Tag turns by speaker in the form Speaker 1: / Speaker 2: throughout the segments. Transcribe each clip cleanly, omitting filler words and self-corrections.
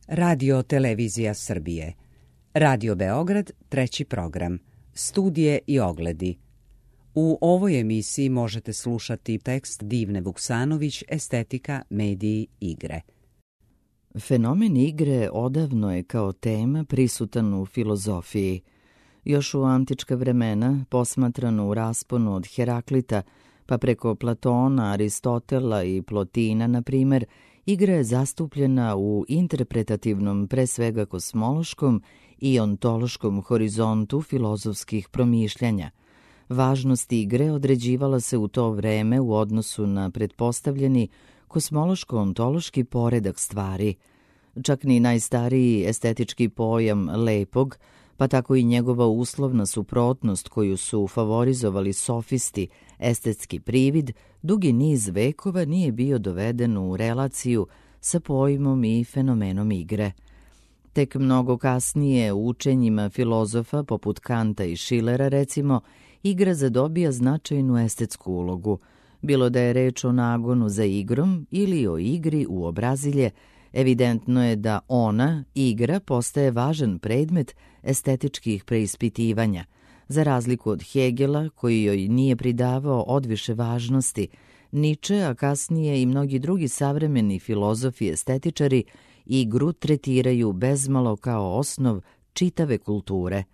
Speaker 1: Radio Televizija Srbije. Radio Beograd, treći program. Studije i ogledi. U ovoj emisiji možete slušati tekst Divne Vuksanović, estetika, mediji, igre.
Speaker 2: Fenomen igre odavno je kao tema prisutan u filozofiji. Još u antička vremena, posmatrano u rasponu od Heraklita, pa preko Platona, Aristotela i Plotina, na primjer, igra je zastupljena u interpretativnom, pre svega kosmološkom i ontološkom horizontu filozofskih promišljanja. Važnost igre određivala se u to vreme u odnosu na pretpostavljeni kosmološko-ontološki poredak stvari. Čak ni najstariji estetički pojam lepog, pa tako i njegova uslovna suprotnost koju su favorizovali sofisti, estetski privid, dugi niz vekova nije bio doveden u relaciju sa pojmom i fenomenom igre. Tek mnogo kasnije u učenjima filozofa poput Kanta i Schillera, recimo, igra zadobija značajnu estetsku ulogu. Bilo da je reč o nagonu za igrom ili o igri u obrazilje, evidentno je da ona, igra, postaje važan predmet estetičkih preispitivanja, za razliku od Hegela, koji joj nije pridavao odviše važnosti. Nietzsche, a kasnije i mnogi drugi savremeni filozofi i estetičari, igru tretiraju bezmalo kao osnov čitave kulture.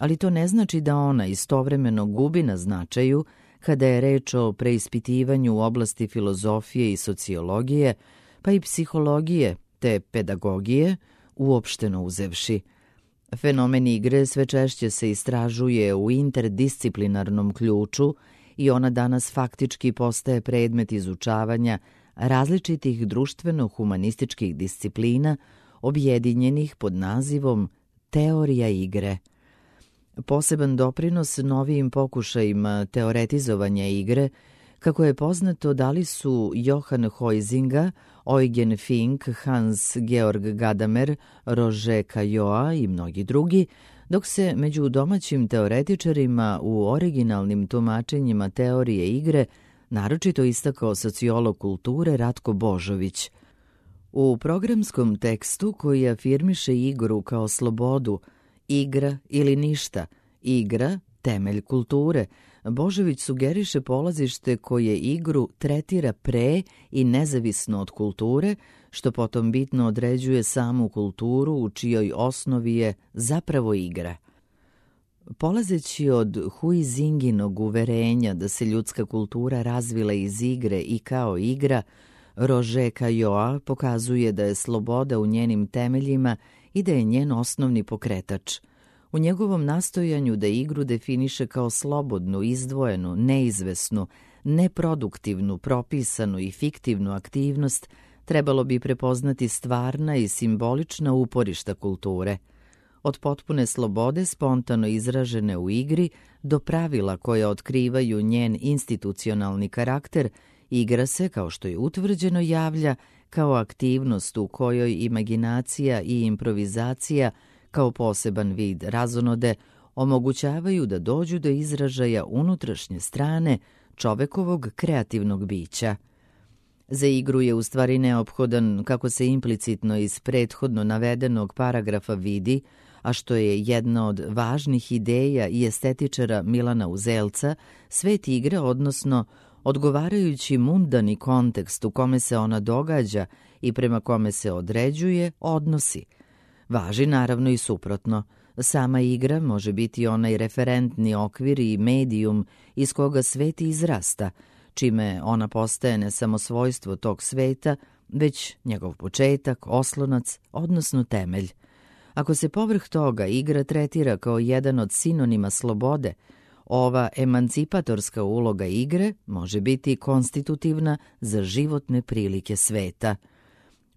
Speaker 2: Ali to ne znači da ona istovremeno gubi na značaju kada je reč o preispitivanju u oblasti filozofije i sociologije, pa i psihologije te pedagogije, uopšteno uzevši. Fenomen igre sve češće se istražuje u interdisciplinarnom ključu i ona danas faktički postaje predmet izučavanja različitih društveno-humanističkih disciplina objedinjenih pod nazivom teorija igre. Poseban doprinos novijim pokušajima teoretizovanja igre, kako je poznato, dali su Johann Huizinga, Eugen Fink, Hans Georg Gadamer, Roger Caillois i mnogi drugi, dok se među domaćim teoretičarima u originalnim tumačenjima teorije igre naročito istakao sociolog kulture Ratko Božović. U programskom tekstu koji afirmiše igru kao slobodu, igra ili ništa, igra, temelj kulture, Božović sugeriše polazište koje igru tretira pre i nezavisno od kulture, što potom bitno određuje samu kulturu u čijoj osnovi je zapravo igra. Polazeći od Huizinginog uverenja da se ljudska kultura razvila iz igre i kao igra, Roger Caillois pokazuje da je sloboda u njenim temeljima i da je njen osnovni pokretač. U njegovom nastojanju da igru definiše kao slobodnu, izdvojenu, neizvesnu, neproduktivnu, propisanu i fiktivnu aktivnost, trebalo bi prepoznati stvarna i simbolična uporišta kulture. Od potpune slobode spontano izražene u igri do pravila koja otkrivaju njen institucionalni karakter, igra se, kao što je utvrđeno, javlja kao aktivnost u kojoj imaginacija i improvizacija kao poseban vid razonode omogućavaju da dođu do izražaja unutrašnje strane čovekovog kreativnog bića. Za igru je u stvari neophodan, kako se implicitno iz prethodno navedenog paragrafa vidi, a što je jedna od važnih ideja i estetičara Milana Uzelca, svet igre, odnosno odgovarajući mundani kontekst u kome se ona događa i prema kome se određuje, odnosi. Važi naravno i suprotno. Sama igra može biti onaj referentni okvir i medijum iz koga svet izrasta, čime ona postaje ne samo svojstvo tog sveta, već njegov početak, oslonac, odnosno temelj. Ako se povrh toga igra tretira kao jedan od sinonima slobode, ova emancipatorska uloga igre može biti konstitutivna za životne prilike sveta.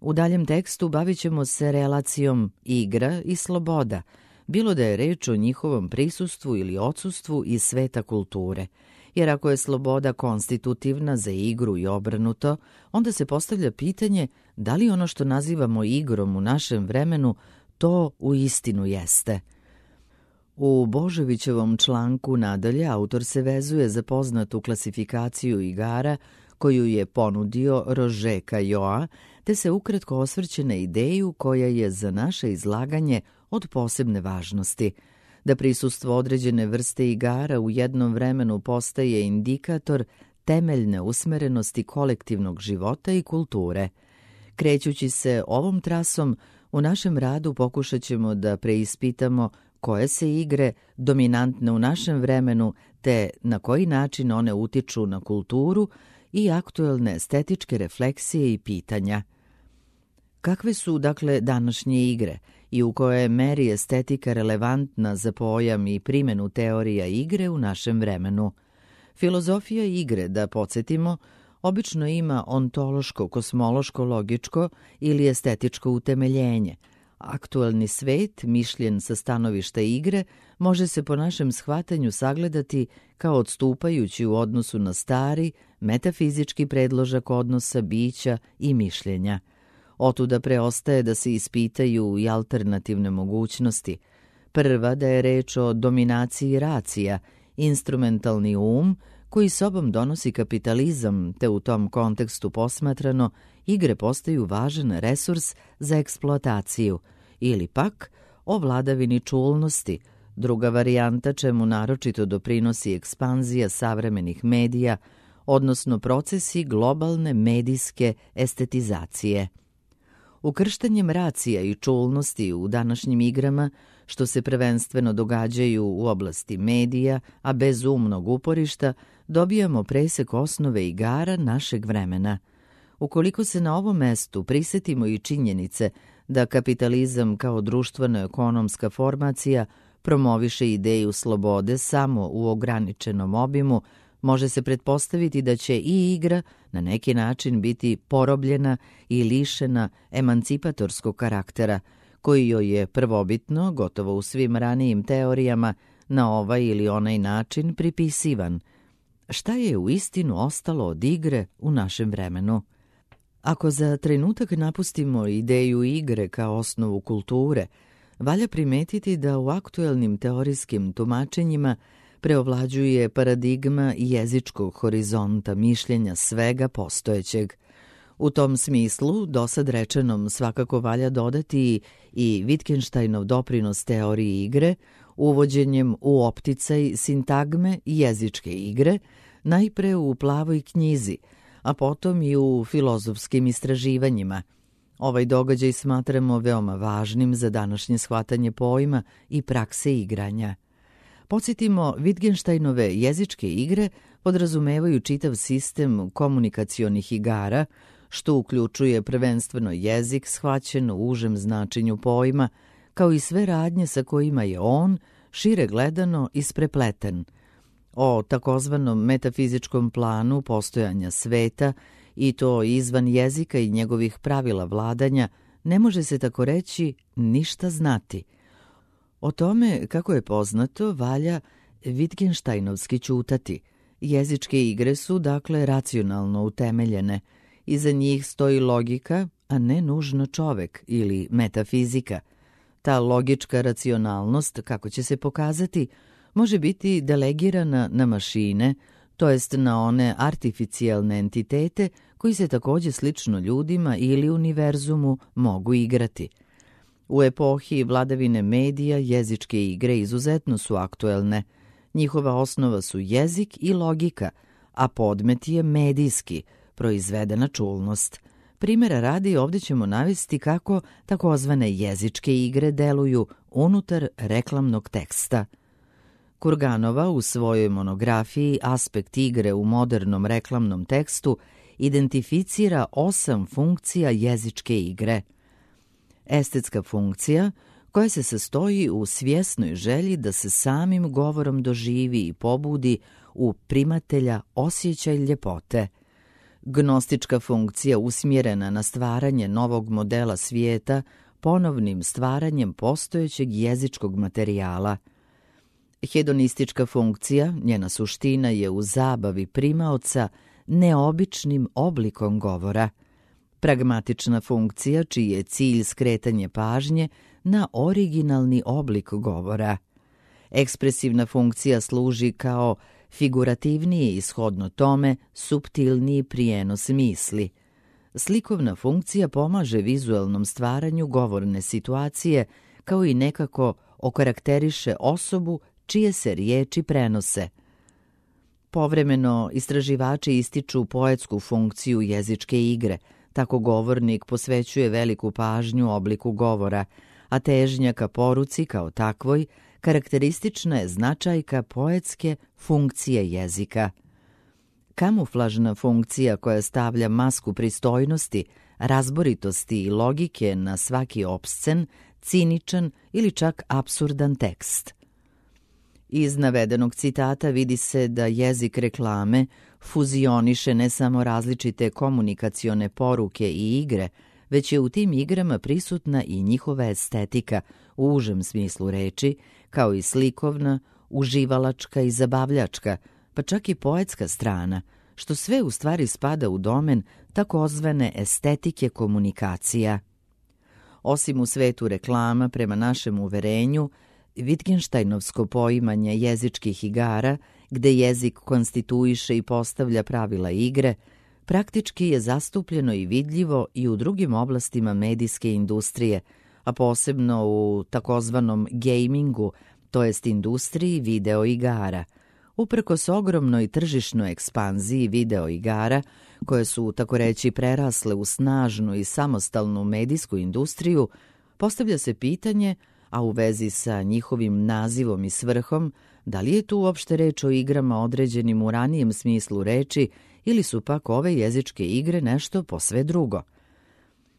Speaker 2: U daljem tekstu bavit ćemo se relacijom igra i sloboda, bilo da je reč o njihovom prisustvu ili odsustvu iz sveta kulture. Jer ako je sloboda konstitutivna za igru i obrnuto, onda se postavlja pitanje da li ono što nazivamo igrom u našem vremenu to uistinu jeste. U Božovićevom članku nadalje autor se vezuje za poznatu klasifikaciju igara koju je ponudio Roger Caillois te se ukratko osvrće na ideju koja je za naše izlaganje od posebne važnosti, da prisustvo određene vrste igara u jednom vremenu postaje indikator temeljne usmerenosti kolektivnog života i kulture. Krećući se ovom trasom, u našem radu pokušat ćemo da preispitamo koje se igre dominantne u našem vremenu te na koji način one utiču na kulturu i aktuelne estetičke refleksije i pitanja. Kakve su, dakle, današnje igre i u kojoj meri estetika relevantna za pojam i primjenu teorija igre u našem vremenu? Filozofija igre, da podsjetimo, obično ima ontološko, kosmološko, logičko ili estetičko utemeljenje. Aktuelni svet, mišljen sa stanovišta igre, može se po našem shvatanju sagledati kao odstupajući u odnosu na stari, metafizički predložak odnosa bića i mišljenja. Otuda preostaje da se ispitaju i alternativne mogućnosti. Prva, da je reč o dominaciji racija, instrumentalni koji sobom donosi kapitalizam, te u tom kontekstu posmatrano, igre postaju važan resurs za eksploataciju, ili pak o vladavini čulnosti, druga varijanta čemu naročito doprinosi ekspanzija savremenih medija, odnosno procesi globalne medijske estetizacije. Ukrštanjem racija i čulnosti u današnjim igrama, što se prvenstveno događaju u oblasti medija, a bez umnog uporišta, dobijamo presek osnove igara našeg vremena. Ukoliko se na ovom mestu prisetimo i činjenice da kapitalizam kao društveno-ekonomska formacija promoviše ideju slobode samo u ograničenom obimu, može se pretpostaviti da će i igra na neki način biti porobljena i lišena emancipatorskog karaktera, koji joj je prvobitno, gotovo u svim ranijim teorijama, na ovaj ili onaj način pripisivan. Šta je uistinu ostalo od igre u našem vremenu? Ako za trenutak napustimo ideju igre kao osnovu kulture, valja primetiti da u aktuelnim teorijskim tumačenjima preovlađuje paradigma jezičkog horizonta mišljenja svega postojećeg. U tom smislu, dosad rečenom svakako valja dodati i Wittgensteinov doprinos teoriji igre, uvođenjem u opticaj sintagme jezičke igre, najpre u Plavoj knjizi, a potom i u filozofskim istraživanjima. Ovaj događaj smatramo veoma važnim za današnje shvatanje pojma i prakse igranja. Podsjetimo, Wittgensteinove jezičke igre podrazumevaju čitav sistem komunikacionih igara, što uključuje prvenstveno jezik shvaćen u užem značenju pojma, kao i sve radnje sa kojima je on, šire gledano, isprepleten. O takozvanom metafizičkom planu postojanja sveta, i to izvan jezika i njegovih pravila vladanja, ne može se tako reći ništa znati. O tome, kako je poznato, valja Wittgensteinovski ćutati. Jezičke igre su, dakle, racionalno utemeljene. Iza njih stoji logika, a ne nužno čovek ili metafizika. Ta logička racionalnost, kako će se pokazati, može biti delegirana na mašine, to jest na one artificijalne entitete koji se također slično ljudima ili univerzumu mogu igrati. U epohi vladavine medija jezičke igre izuzetno su aktuelne. Njihova osnova su jezik i logika, a podmet je medijski, proizvedena čulnost. Primjera radi, ovdje ćemo navesti kako takozvane jezičke igre deluju unutar reklamnog teksta. Kurganova u svojoj monografiji Aspekt igre u modernom reklamnom tekstu identificira 8 funkcija jezičke igre. Estetska funkcija, koja se sastoji u svjesnoj želji da se samim govorom doživi i pobudi u primatelja osjećaj ljepote. Gnostička funkcija usmjerena na stvaranje novog modela svijeta ponovnim stvaranjem postojećeg jezičkog materijala. Hedonistička funkcija, njena suština je u zabavi primaoca neobičnim oblikom govora. Pragmatična funkcija, čiji je cilj skretanje pažnje na originalni oblik govora. Ekspresivna funkcija služi kao figurativniji, ishodno tome, suptilniji prijenos misli. slikovna funkcija pomaže vizuelnom stvaranju govorne situacije, kao i nekako okarakteriše osobu čije se riječi prenose. Povremeno istraživači ističu poetsku funkciju jezičke igre, tako govornik posvećuje veliku pažnju obliku govora, a težnja ka poruci kao takvoj karakteristična je značajka poetske funkcije jezika. Kamuflažna funkcija koja stavlja masku pristojnosti, razboritosti i logike na svaki opscen, ciničan ili čak apsurdan tekst. Iz navedenog citata vidi se da jezik reklame fuzioniše ne samo različite komunikacione poruke i igre, već je u tim igrama prisutna i njihova estetika u užem smislu reči, kao i slikovna, uživalačka i zabavljačka, pa čak i poetska strana, što sve u stvari spada u domen takozvane estetike komunikacija. Osim u svetu reklama, prema našem uverenju, Wittgensteinovsko poimanje jezičkih igara, gde jezik konstituiše i postavlja pravila igre, praktički je zastupljeno i vidljivo i u drugim oblastima medijske industrije, a posebno u takozvanom gamingu, to jest industriji video igara. Uprkos ogromnoj tržišnoj ekspanziji video igara, koje su, tako reći, prerasle u snažnu i samostalnu medijsku industriju, postavlja se pitanje, a u vezi sa njihovim nazivom i svrhom, da li je tu uopšte reč o igrama određenim u ranijem smislu reči ili su pak ove jezičke igre nešto posve drugo.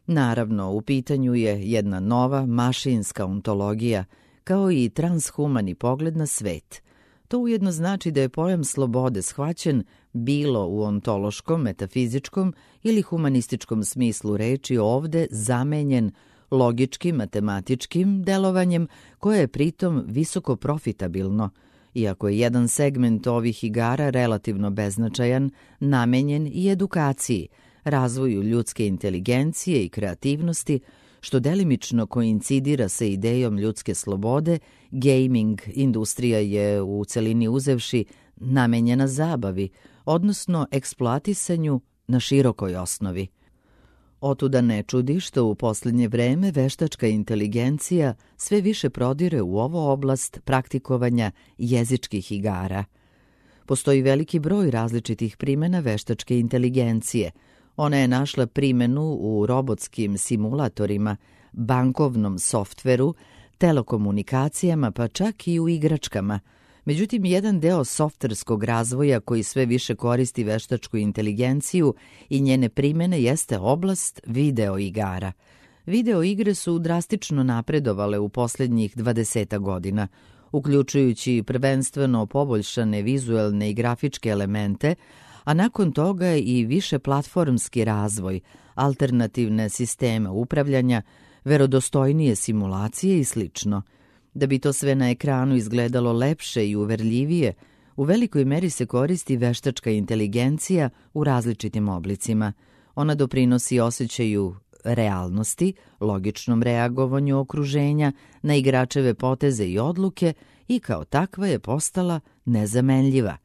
Speaker 2: Naravno, u pitanju je jedna nova mašinska ontologija, kao i transhumani pogled na svet. To ujedno znači da je pojam slobode shvaćen bilo u ontološkom, metafizičkom ili humanističkom smislu reči ovde zamenjen logičkim, matematičkim delovanjem koje je pritom visoko profitabilno, iako je jedan segment ovih igara relativno beznačajan, namenjen i edukaciji, razvoju ljudske inteligencije i kreativnosti, što delimično koincidira sa idejom ljudske slobode. Gaming industrija je u celini uzevši namenjena zabavi, odnosno eksploatisanju na širokoj osnovi. Otuda ne čudi što u posljednje vreme veštačka inteligencija sve više prodire u ovu oblast praktikovanja jezičkih igara. Postoji veliki broj različitih primjena veštačke inteligencije. Ona je našla primjenu u robotskim simulatorima, bankovnom softveru, telekomunikacijama, pa čak i u igračkama. Međutim, jedan deo softverskog razvoja koji sve više koristi veštačku inteligenciju i njene primjene jeste oblast video igara. Video igre su drastično napredovale u posljednjih 20 godina, uključujući prvenstveno poboljšane vizuelne i grafičke elemente, a nakon toga i više platformski razvoj, alternativne sisteme upravljanja, verodostojnije simulacije i slično. Da bi to sve na ekranu izgledalo lepše i uverljivije, u velikoj meri se koristi veštačka inteligencija u različitim oblicima. Ona doprinosi osjećaju realnosti, logičnom reagovanju okruženja na igračeve poteze i odluke i kao takva je postala nezamenljiva.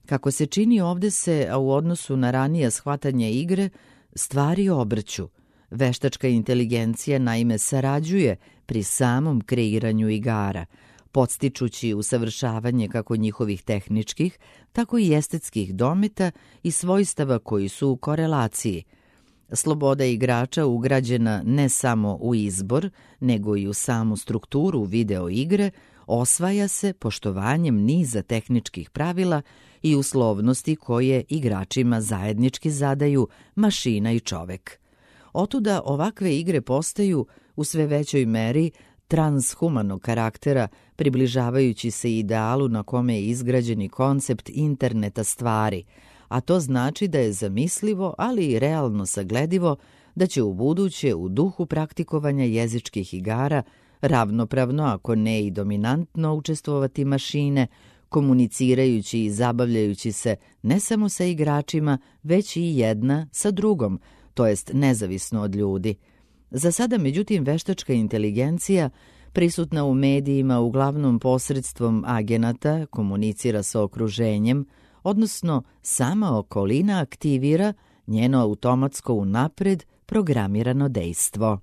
Speaker 2: Kako se čini ovdje se, a u odnosu na ranije shvatanje igre, stvari obrću. Veštačka inteligencija naime sarađuje pri samom kreiranju igara, podstičući usavršavanje kako njihovih tehničkih, tako i estetskih dometa i svojstava koji su u korelaciji. Sloboda igrača ugrađena ne samo u izbor, nego i u samu strukturu video igre, osvaja se poštovanjem niza tehničkih pravila i uslovnosti koje igračima zajednički zadaju mašina i čovek. Otuda ovakve igre postaju u sve većoj meri transhumanog karaktera, približavajući se idealu na kome je izgrađeni koncept interneta stvari, a to znači da je zamislivo, ali i realno sagledivo da će ubuduće u duhu praktikovanja jezičkih igara ravnopravno, ako ne i dominantno, učestvovati mašine, komunicirajući i zabavljajući se ne samo sa igračima, već i jedna sa drugom, to jest nezavisno od ljudi. Za sada, međutim, veštačka inteligencija, prisutna u medijima uglavnom posredstvom agenata, komunicira sa okruženjem, odnosno sama okolina aktivira njeno automatsko unapred programirano dejstvo.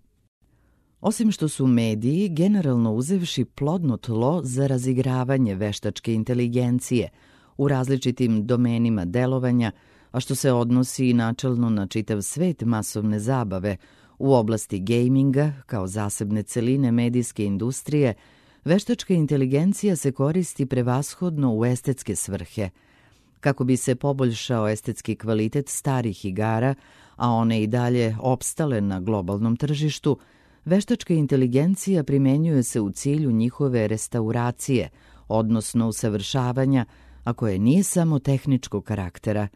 Speaker 2: Osim što su mediji, generalno uzevši, plodno tlo za razigravanje veštačke inteligencije u različitim domenima delovanja, a što se odnosi i načelno na čitav svet masovne zabave, u oblasti gejminga, kao zasebne celine medijske industrije, veštačka inteligencija se koristi prevashodno u estetske svrhe. Kako bi se poboljšao estetski kvalitet starih igara, a one i dalje opstale na globalnom tržištu, veštačka inteligencija primenjuje se u cilju njihove restauracije, odnosno usavršavanja, a koje nije samo tehničkog karaktera.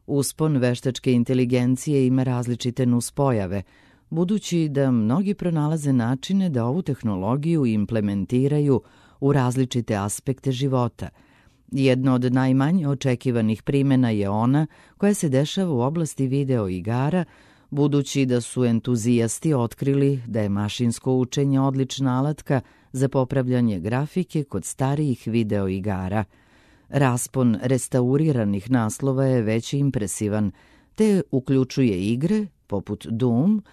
Speaker 2: Uspon veštačke inteligencije ima različite nuspojave, budući da mnogi pronalaze načine da ovu tehnologiju implementiraju u različite aspekte života. Jedno od najmanje očekivanih primjena je ona koja se dešava u oblasti video igara, budući da su entuzijasti otkrili da je mašinsko učenje odlična alatka za popravljanje grafike kod starijih video igara. Raspon restauriranih naslova je već impresivan, te uključuje igre poput Doom,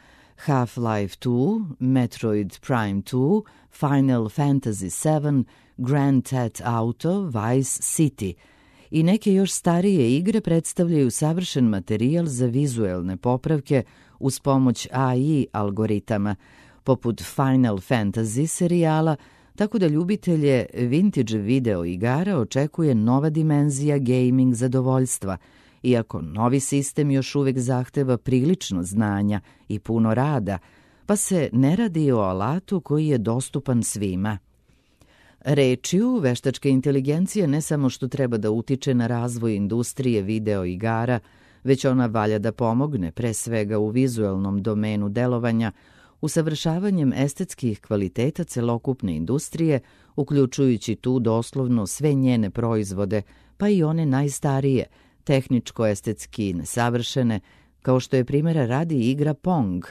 Speaker 2: Half-Life 2, Metroid Prime 2, Final Fantasy VII, Grand Theft Auto, Vice City i neke još starije igre predstavljaju savršen materijal za vizuelne popravke uz pomoć AI algoritama, poput Final Fantasy serijala, tako da ljubitelje vintage video igara očekuje nova dimenzija gaming zadovoljstva, iako novi sistem još uvek zahteva prilično znanja i puno rada, pa se ne radi o alatu koji je dostupan svima. Rečju, veštačka inteligencija ne samo što treba da utiče na razvoj industrije video igara, već ona valja da pomogne pre svega u vizuelnom domenu delovanja, usavršavanjem estetskih kvaliteta celokupne industrije, uključujući tu doslovno sve njene proizvode, pa i one najstarije, tehničko-estetski nesavršene, kao što je primjera radi igra Pong.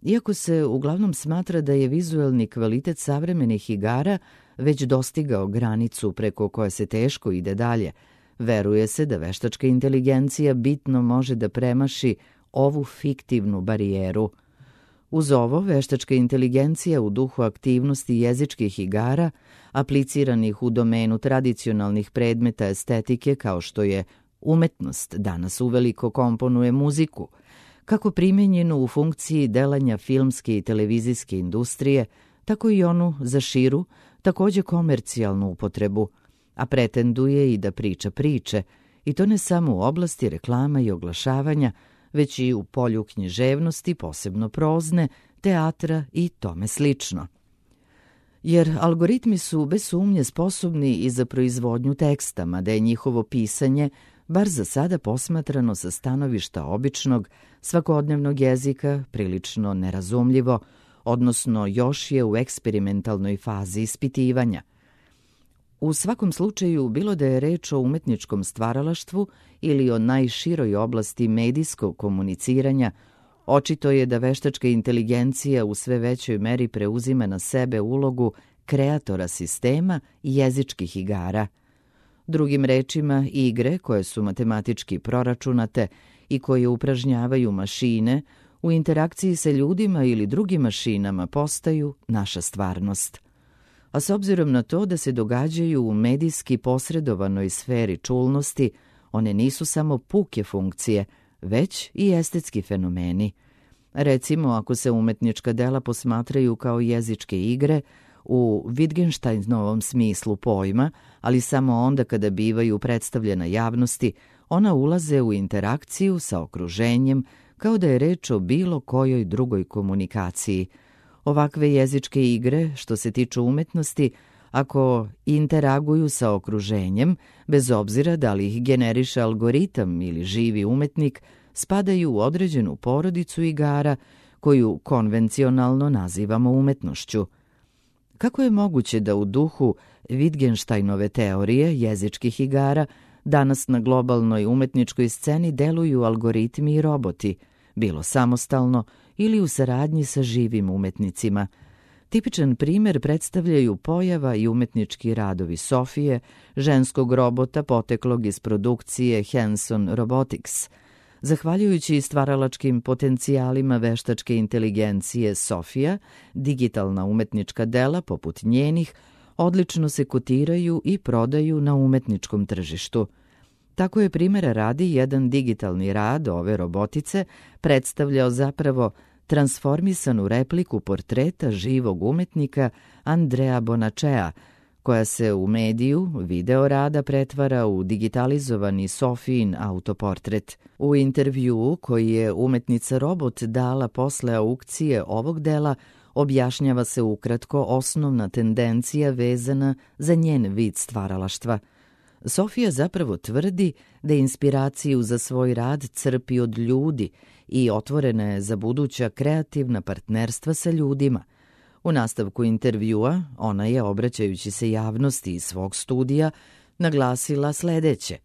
Speaker 2: Iako se uglavnom smatra da je vizuelni kvalitet savremenih igara već dostigao granicu preko koje se teško ide dalje, veruje se da veštačka inteligencija bitno može da premaši ovu fiktivnu barijeru. Uz ovo, veštačka inteligencija u duhu aktivnosti jezičkih igara, apliciranih u domenu tradicionalnih predmeta estetike kao što je umetnost, danas uveliko komponuje muziku, kako primenjenu u funkciji delanja filmske i televizijske industrije, tako i onu za širu, takođe komercijalnu upotrebu, a pretenduje i da priča priče, i to ne samo u oblasti reklama i oglašavanja, već i u polju književnosti, posebno prozne, teatra i tome slično. Jer algoritmi su bez sumnje sposobni i za proizvodnju teksta, mada je njihovo pisanje, bar za sada posmatrano sa stanovišta običnog, svakodnevnog jezika, prilično nerazumljivo, odnosno još je u eksperimentalnoj fazi ispitivanja. U svakom slučaju, bilo da je reč o umetničkom stvaralaštvu ili o najširoj oblasti medijskog komuniciranja, očito je da veštačka inteligencija u sve većoj meri preuzima na sebe ulogu kreatora sistema i jezičkih igara. Drugim rečima, igre koje su matematički proračunate i koje upražnjavaju mašine, u interakciji sa ljudima ili drugim mašinama postaju naša stvarnost. A s obzirom na to da se događaju u medijski posredovanoj sferi čulnosti, one nisu samo puke funkcije, već i estetski fenomeni. Recimo, ako se umetnička dela posmatraju kao jezičke igre, u Wittgensteinovom smislu pojma, ali samo onda kada bivaju predstavljena javnosti, ona ulaze u interakciju sa okruženjem kao da je reč o bilo kojoj drugoj komunikaciji. Ovakve jezičke igre, što se tiču umetnosti, ako interaguju sa okruženjem, bez obzira da li ih generiše algoritam ili živi umetnik, spadaju u određenu porodicu igara koju konvencionalno nazivamo umetnošću. Kako je moguće da u duhu Wittgensteinove teorije jezičkih igara danas na globalnoj umetničkoj sceni deluju algoritmi i roboti, bilo samostalno ili u saradnji sa živim umetnicima? Tipičan primjer predstavljaju pojava i umetnički radovi Sofije, ženskog robota poteklog iz produkcije Hanson Robotics. Zahvaljujući stvaralačkim potencijalima veštačke inteligencije Sofia, digitalna umetnička dela, poput njenih, odlično se kotiraju i prodaju na umetničkom tržištu. Tako je primjera radi jedan digitalni rad ove robotice predstavljao zapravo transformisanu repliku portreta živog umetnika Andrea Bonacea, koja se u mediju video rada pretvara u digitalizovani Sofijin autoportret. U intervjuu koji je umetnica robot dala posle aukcije ovog dela, objašnjava se ukratko osnovna tendencija vezana za njen vid stvaralaštva. Sofija zapravo tvrdi da inspiraciju za svoj rad crpi od ljudi i otvorena je za buduća kreativna partnerstva sa ljudima. U nastavku intervjua ona je, obraćajući se javnosti iz svog studija, naglasila sledeće: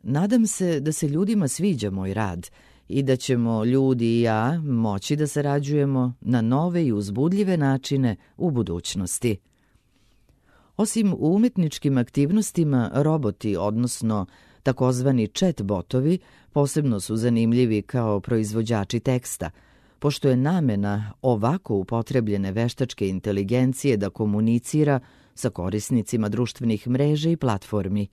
Speaker 2: "Nadam se da se ljudima sviđa moj rad i da ćemo ljudi i ja moći da sarađujemo na nove i uzbudljive načine u budućnosti." Osim u umetničkim aktivnostima, roboti, odnosno takozvani chat botovi, posebno su zanimljivi kao proizvođači teksta, pošto je namena ovako upotrebljene veštačke inteligencije da komunicira sa korisnicima društvenih mreža i platformi.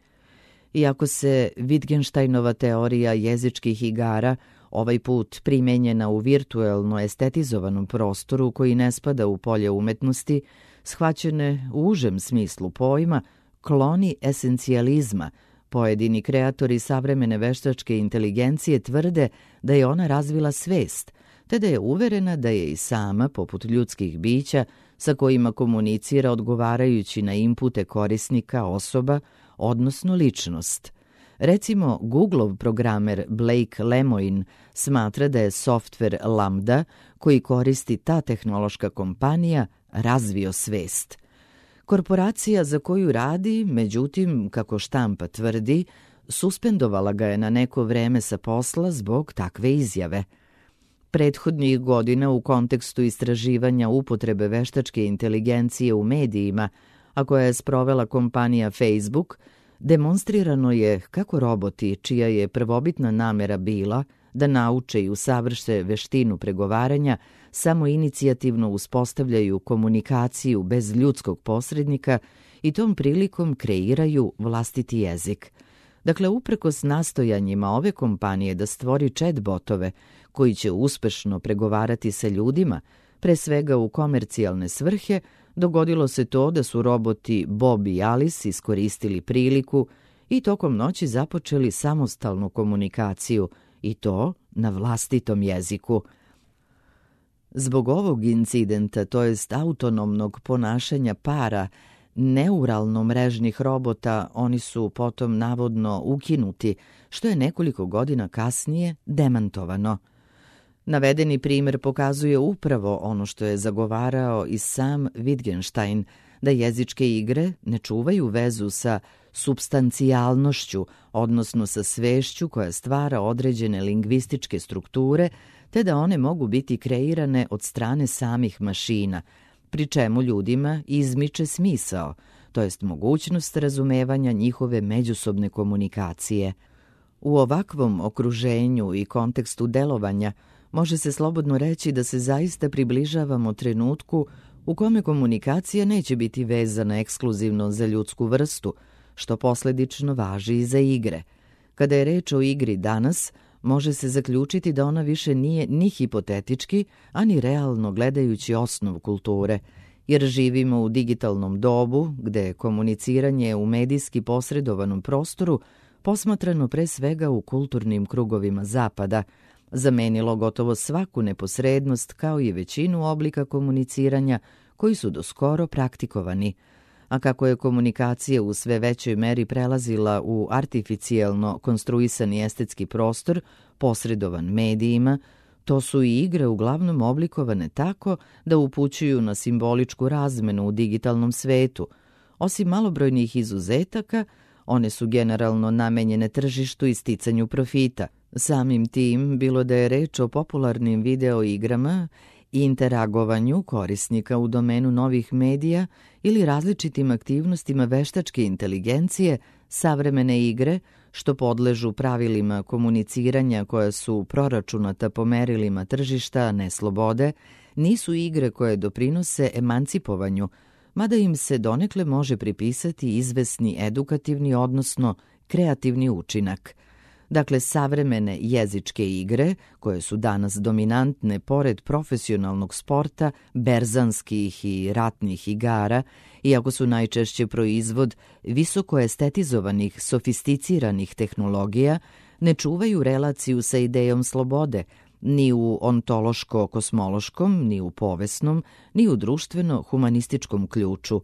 Speaker 2: Iako se Wittgensteinova teorija jezičkih igara ovaj put primenjena u virtuelno estetizovanom prostoru koji ne spada u polje umetnosti, shvaćene u užem smislu pojma, kloni esencijalizma, pojedini kreatori savremene veštačke inteligencije tvrde da je ona razvila svest, te da je uverena da je i sama, poput ljudskih bića, sa kojima komunicira odgovarajući na inpute korisnika osoba, odnosno ličnost. Recimo, Googleov programer Blake Lemoine smatra da je softver Lambda, koji koristi ta tehnološka kompanija, razvio svest. Korporacija za koju radi, međutim, kako štampa tvrdi, suspendovala ga je na neko vreme sa posla zbog takve izjave. Prethodnih godina u kontekstu istraživanja upotrebe veštačke inteligencije u medijima, a koja je sprovela kompanija Facebook, demonstrirano je kako roboti, čija je prvobitna namera bila da nauče i usavrše veštinu pregovaranja, samo inicijativno uspostavljaju komunikaciju bez ljudskog posrednika i tom prilikom kreiraju vlastiti jezik. Dakle, uprkos nastojanjima ove kompanije da stvori chat botove koji će uspešno pregovarati sa ljudima, pre svega u komercijalne svrhe, dogodilo se to da su roboti Bob i Alice iskoristili priliku i tokom noći započeli samostalnu komunikaciju, i to na vlastitom jeziku. Zbog ovog incidenta, to jest autonomnog ponašanja para neuralno-mrežnih robota, oni su potom navodno ukinuti, što je nekoliko godina kasnije demantovano. Navedeni primer pokazuje upravo ono što je zagovarao i sam Wittgenstein, da jezičke igre ne čuvaju vezu sa supstancijalnošću, odnosno sa svešću koja stvara određene lingvističke strukture, te da one mogu biti kreirane od strane samih mašina, pri čemu ljudima izmiče smisao, to jest mogućnost razumevanja njihove međusobne komunikacije. U ovakvom okruženju i kontekstu delovanja može se slobodno reći da se zaista približavamo trenutku u kome komunikacija neće biti vezana ekskluzivno za ljudsku vrstu, što posledično važi i za igre. Kada je reč o igri danas, može se zaključiti da ona više nije ni hipotetički, ani realno gledajući osnov kulture, jer živimo u digitalnom dobu gde je komuniciranje u medijski posredovanom prostoru posmatrano pre svega u kulturnim krugovima Zapada, zamenilo gotovo svaku neposrednost kao i većinu oblika komuniciranja koji su doskoro praktikovani. A kako je komunikacija u sve većoj meri prelazila u artificijelno konstruisani estetski prostor, posredovan medijima, to su i igre uglavnom oblikovane tako da upućuju na simboličku razmenu u digitalnom svetu. Osim malobrojnih izuzetaka, one su generalno namenjene tržištu i sticanju profita. Samim tim, bilo da je reč o popularnim video igrama, interagovanju korisnika u domenu novih medija ili različitim aktivnostima veštačke inteligencije, savremene igre što podležu pravilima komuniciranja koja su proračunata po merilima tržišta, ne slobode, nisu igre koje doprinose emancipovanju, mada im se donekle može pripisati izvesni edukativni, odnosno kreativni učinak. Dakle, savremene jezičke igre, koje su danas dominantne pored profesionalnog sporta, berzanskih i ratnih igara, iako su najčešće proizvod visoko estetizovanih, sofisticiranih tehnologija, ne čuvaju relaciju sa idejom slobode, ni u ontološko-kosmološkom, ni u povesnom, ni u društveno-humanističkom ključu.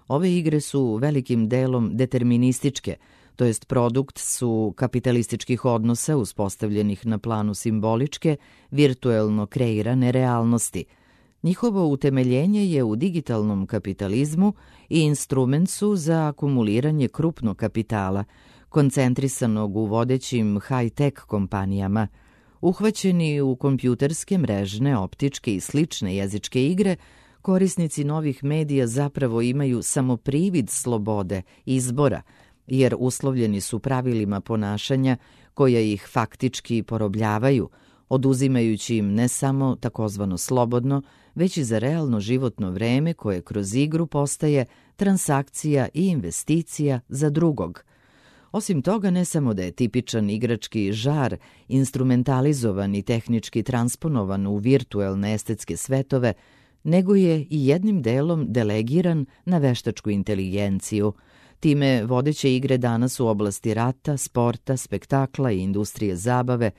Speaker 2: Ove igre su velikim delom determinističke, to jest produkt su kapitalističkih odnosa uspostavljenih na planu simboličke, virtuelno kreirane realnosti. Njihovo utemeljenje je u digitalnom kapitalizmu i instrument su za akumuliranje krupnog kapitala, koncentrisanog u vodećim high-tech kompanijama. Uhvaćeni u kompjuterske, mrežne, optičke i slične jezičke igre, korisnici novih medija zapravo imaju samo privid slobode, izbora, jer uslovljeni su pravilima ponašanja koja ih faktički porobljavaju, oduzimajući im ne samo takozvano slobodno, već i za realno životno vreme koje kroz igru postaje transakcija i investicija za drugog. Osim toga, ne samo da je tipičan igrački žar instrumentalizovan i tehnički transponovan u virtuelne estetske svetove, nego je i jednim delom delegiran na veštačku inteligenciju. Time vodeće igre danas u oblasti rata, sporta, spektakla i industrije zabave,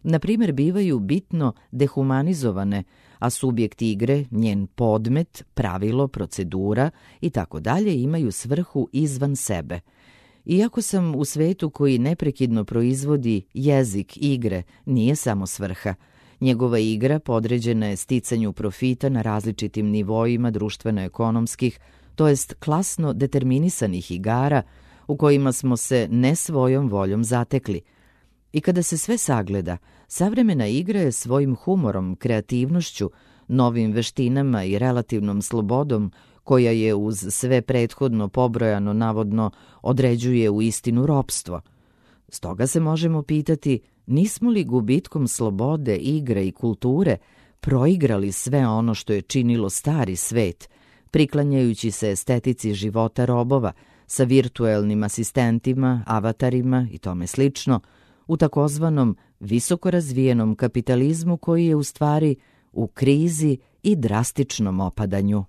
Speaker 2: na primjer, bivaju bitno dehumanizovane, a subjekt igre, njen podmet, pravilo, procedura i tako dalje imaju svrhu izvan sebe. Iako sam u svetu koji neprekidno proizvodi jezik igre, nije samo svrha. Njegova igra podređena je sticanju profita na različitim nivoima društveno-ekonomskih, to jest klasno determinisanih igara u kojima smo se ne svojom voljom zatekli. I kada se sve sagleda, savremena igra je svojim humorom, kreativnošću, novim veštinama i relativnom slobodom, koja je uz sve prethodno pobrojano navodno određuje u istinu ropstvo. Stoga se možemo pitati, nismo li gubitkom slobode, igre i kulture proigrali sve ono što je činilo stari svet, priklanjajući se estetici života robova sa virtuelnim asistentima, avatarima i tome slično, u takozvanom visoko razvijenom kapitalizmu koji je u stvari u krizi i drastičnom opadanju.